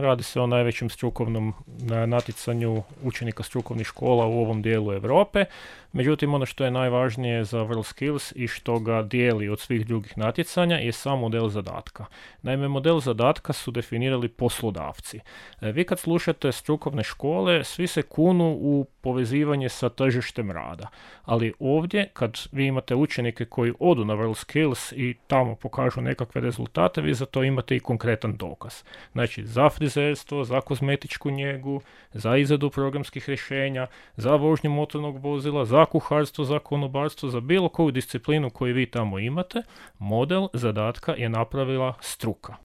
radi se o najvećem strukovnom natjecanju učenika strukovnih škola u ovom dijelu Europe. Međutim, ono što je najvažnije za WorldSkills i što ga dijeli od svih drugih natjecanja je sam model zadatka. Naime, model zadatka su definirali poslodavci. Vi kad slušate strukovne škole, svi se kunu u povezivanje sa tržištem rada. Ali ovdje, kad vi imate učenike koji odu na WorldSkills i tamo pokažu nekakve rezultate, vi za to imate i konkretan dokaz. Znači, za frizerstvo, za kozmetičku njegu, za izradu programskih rješenja, za vožnju motornog vozila, za kuharstvo, za konobarstvo, za bilo koju disciplinu koju vi tamo imate, model zadatka je napravila struka.